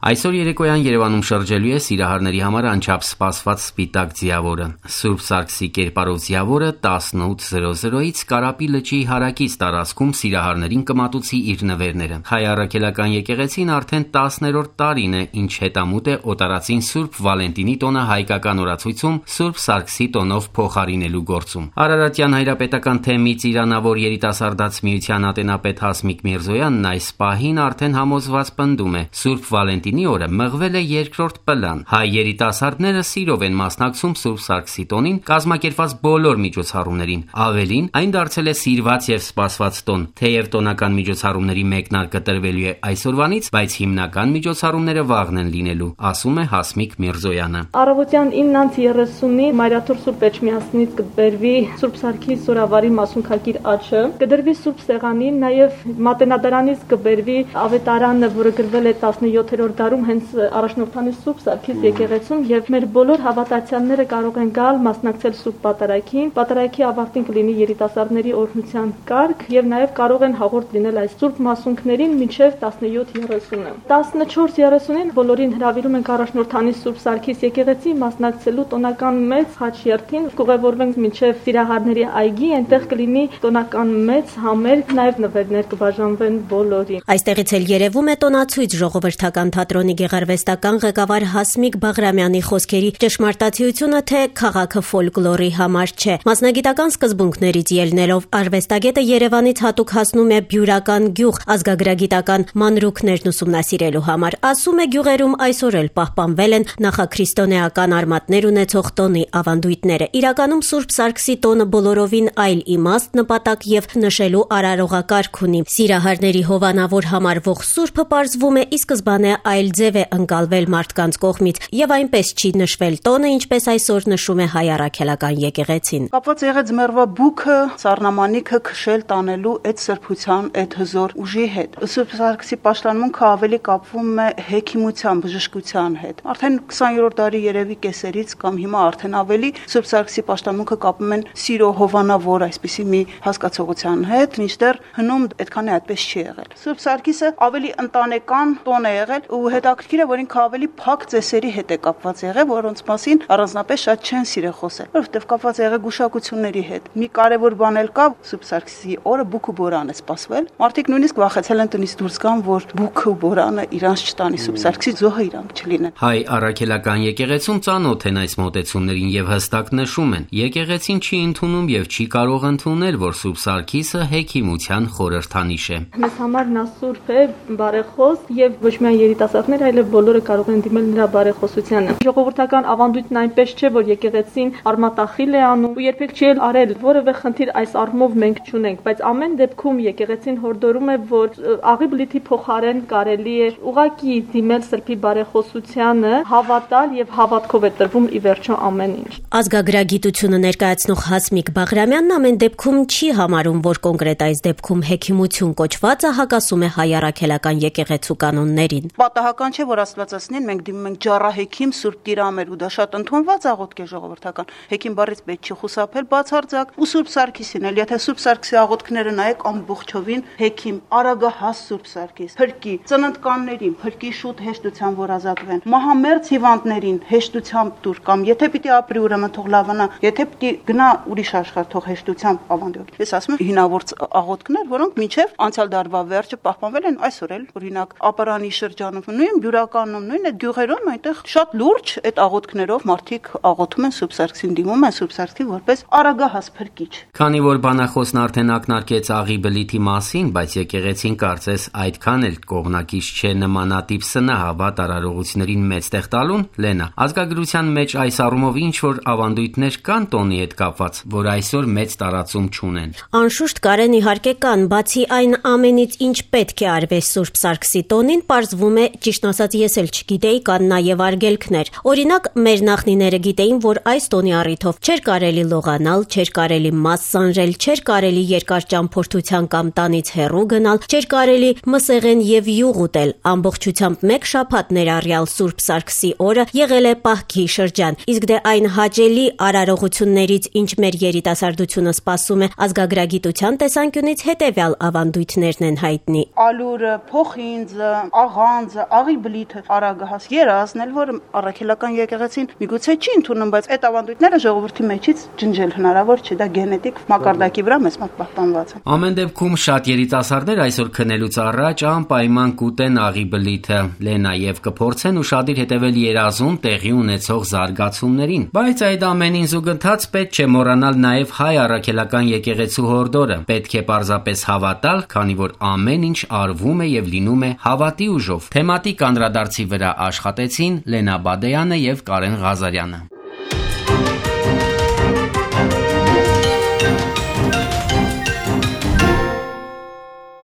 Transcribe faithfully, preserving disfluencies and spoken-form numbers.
Այսօր երեկոյան Երևանում շրջելու է սիրահարների համար անչափ սպասված սպիտակ ձիավորը։ Սուրբ Սարգսի կերպարով ձիավորը տասնութ զրո զրոից Կարապի լճի հարակից տարածքում սիրահարներին կմատուցի իր նվերները։ Հայ առաքելական եկեղեցին արդեն տասներորդ տարին է, ինչ հետամուտ է օտարածին Սուրբ Վալենտինի տոնը հայկական օրացույցում Սուրբ Սարգսի տոնով փոխարինելու գործում։ Արարատյան հայրապետական թեմի ծիրանավոր երիտասարդաց միության ատենապետ Հասմիկ Միրզոյանն այս պահին արդեն համոզված պնդում է՝ Սուրբ Վալենտինի օրը մղվել է երկրորդ պլան։ Հայ երիտասարդները սիրով են մասնակցում Սուրբ Սարգսի տոնին կազմակերպված բոլոր միջոցառումներին։ Ավելին, այն դարձել է սիրված եւ սպասված տոն։ Թեև տոնական միջոցառումների մեկնարկը տրվելու է այսօրվանից, բայց հիմնական միջոցառումները վաղն են լինելու, ասում է Հասմիկ Միրզոյանը։ Առավոտյան իննից երեսունի Մայրաթոր Սուրբ Էջմիածնից կբերվի Սուրբ Սարգի Սորավարի մասունքագիր աչը, կդրվի Սուրբ Սեղանին, նաեւ Մատենադարանից կբերվի ավետարանը, որը գրվել է տասնյոթերորդ դարում հենց առաջնորդանի Սուրբ Սարգիս եկեղեցում, եւ մեր բոլոր հավատացյալները կարող են գալ մասնակցել Սուրբ Պատարագին։ Պատարագի ավարտին կլինի երիտասարդների օրհնության կարգ եւ նաեւ կարող են հաղորդ լինել այս Սուրբ մասունքներին մինչեւ տասնյոթ երեսունը։ տասնչորս երեսունին բոլորին հրավիրում ենք առաջնորդանի Սուրբ Սարգիս եկեղեցի մասնակցելու տոնական մեծ խաչերթին, կուղևորվենք մինչեւ Սիրահարների այգի, այնտեղ կլինի տոնական մեծ համերգ, նաեւ նվերներ կբաժանվեն բոլորին։ Այստեղից էլ երևում է տոնացույց ժողովրդական թատրոնի գեղարվեստական ղեկավար Հասմիկ Բաղրամյանի խոսքերի ճշմարտացիությունը, թե քաղաքը ֆոլկլորի համար չէ։ Մասնագիտական սկզբունքներից ելնելով արվեստագետը Երևանից հատուկ հասնում է Բյուրական գյուղ ազգագրագիտական մանրուքներն ուսումնասիրելու համար։ Ասում է, գյուղերում այսօր էլ պահպանվել են նախաքրիստոնեական արմատներ ունեցող տոնի ավանդույթները։ Իրականում Սուրբ Սարգսի տոնը բոլորովին այլ իմաստ, նպատակ եւ նշելու արարողակարգ ունի։ Սիրահարների հովանավոր համարվող Սուրբը պարզվում է ի սկզբանե այլ ձև է ընկալվել մարդկանց կողմից եւ այնպես չի նշվել տոնը, ինչպես այսօր նշում է հայ առաքելական եկեղեցին։ Կապված եղեց մերվա բուքը, սառնամանիքը քշել տանելու այդ սրբության, այդ հզոր ուժի հետ։ Սուրբ Սարգսի պաշտամունքը ավելի կապվում է հեքիմության, բժշկության հետ։ Արդեն քսաներորդ դարի երևի կեսերից կամ հիմա արդեն ավելի Սուրբ Սարգսի պաշտամունքը կապում են սիրո հովանավոր այսպիսի մի հասկացողության հետ, մինչդեռ հնում այդքան է այդպես չի եղել։ Սուրբ Սարգիսը ավելի ընտանեկան տոն է եղել ու հետաքրքիր է, որ ինքը ավելի փակ ծեսերի հետ է կապված եղել, որոնց մասին առանձնապես շատ չեն սիրել խոսել, որովհետև կապված եղել գուշակությունների հետ։ Մի կարևոր բան էլ կա, Սուրբ Սարգսի օրը բուք ու բորան է սպասվել։ Մարդիկ նույնիսկ վախեցել են տնից դուրս գան, որ բուքը ու բորանը իրանց չտանի, Սուրբ Սարգսի զոհը իրանք չլինեն։ Հայ առաքելական եկեղեցում ծանոթ են այս մոտեցումներին եւ հստակ նշում են. եկեղեցին չի ընդունում եւ չի կարող ընդունել, որ Սուրբ Սարգիսը հեքիմության խորհրդանիշ է։ Մեզ համար նա սուրբ է, բարեխոս եւ ոչ միայն երիտասարդները, այլև բոլորը կարող են դիմել նրա բարեխոսությանը։ Ժողովրդական ավանդույթն այնպես չէ, որ եկեղեցին արմատախիլ է անում ու երբեք չի արել որևէ խնդիր այս առումով մենք չունենք, բայց ամեն դեպքում եկեղեցին հորդորում է, որ աղի բլիթի փոխարեն կարելի է ուղակի դիմել սրբի բարեխոսությանը, հավատալ եւ հավատքով է տրվում ի վերջո ամեն ինչ։ Ազգագրագիտությունը ներկայացնող Հասմիկ Բաղրամյանն ամեն դեպքում չի համարում, որ կոնկրետ այս դեպքում հեքիմություն կոչվածը հակասում է հայ առաքելական եկեղեցու կանոններին։ Պատահական չէ, որ Աստվածածնին մենք դիմում ենք ջառահեքիմ Սուրբ Տիրամեր ու դա շատ ընդունված աղոթք է ժողովրդական։ Հեքիմ բառից պետք չի խուսափել բացարձակ ու Սուրբ Սարգիսին էլ, եթե Սուրբ Սարգսի աղոթքները նայեք ամբողջովին հեքիմ, արագահաս Սուրբ Սարգիս, փրկի, ծննդկաններին, փրկի շուտ հեշտությամբ որ ազատվեն, մահամերձ հիվանդներին հեշտությամբ դուր կամ եթե պիտի ապրի ուրեմն թող լավանա, եթե պիտի գնա ուրիշ աշխարհ թող հեշտությամբ ավանդի։ Ես ասում եմ հինավուրց աղոթքներ, որոնք մինչև անցյալ դարվա վերջը պահպանվել են այսօր էլ, օրինակ Ապարանի շրջանում, նույն Բյուրականում, նույն այդ գյուղերում այնտեղ շատ լուրջ այդ աղոթքներով մարդիկ աղոթում են Սուրբ Սարգսին, դիմում են Սուրբ Սարգսին որպես արագահաս փրկիչ։ Քանի որ բանախոսն արդեն ակնարկեց աղի բլիթի մասին, բայց եկեղեցին կարծես այդքան էլ կողմնակից չէ նմանատիպ սնահավատ արարողություններին մեծ տեղ տալուն, Լենա, ազգագրության մեջ այս առումով ինչ որ ավանդույթներ կան տոնի հետ կապված, որ այսօր մեծ տարածում չունեն։ Անշուշտ Կարեն իհարկե կան, բացի այն ամենից, ինչ պետք է արվեր Սուրբ Սարգսի տոնին, պարզվում է, ճիշտ ասած ես էլ չգիտեի, կան նաև արգելքներ։ Օրինակ, մեր նախնիները գիտեին, որ այս տոնի առիթով չէր կարելի լողանալ, չէր կարելի մաս սանրել, չէր կարելի երկար ճամփորդության կամ տանից հեռու գնալ, չէր կարելի մսեղեն եւ յուղ ուտել։ Ամբողջությամբ մեկ շաբաթ ներառյալ Սուրբ Սարգսի օրը եղել է պահքի շրջան։ Իսկ դե այն հաճելի արարողություններից, ինչ մեր երիտասարդությունը սպասում է, ազգագրագիտության տեսանկյունից հետևյալ ավանդույթներն են հայտնի։ Ալուրը, փոխինձը, աղանձը, աղի բլիթը արագահաս երազն էլ, որ առաքելական եկեղեցին միգուցե չի ընդունում, բայց այդ ավանդույթները ժողովրդի մեջից ջնջել հնարավոր չէ, դա գենետիկ մակարդակի վրա մեծ մոտ պահպանված է։ Ամեն դեպքում շատ երիտասարդներ այսօր քնելուց առաջ անպայման կուտեն աղի բլիթը, Լենաև կփորձեն ուշադիր հետևել երազում տեղի ունեցող զարգացումներին, բայց այդ ամենին զուգընթաց պետք չէ մոռանալ նաև հայ առաքելական եկեղեցու հորդորը։ Պետք է պարզապես հավատալ, քանի որ ամեն ինչ արվում է եւ լինում է հավատի ուժով։ Թեմատիկ անդրադարձի վրա աշխատեցին Լենա Բադեյանը եւ Կարեն Ղազարյանը։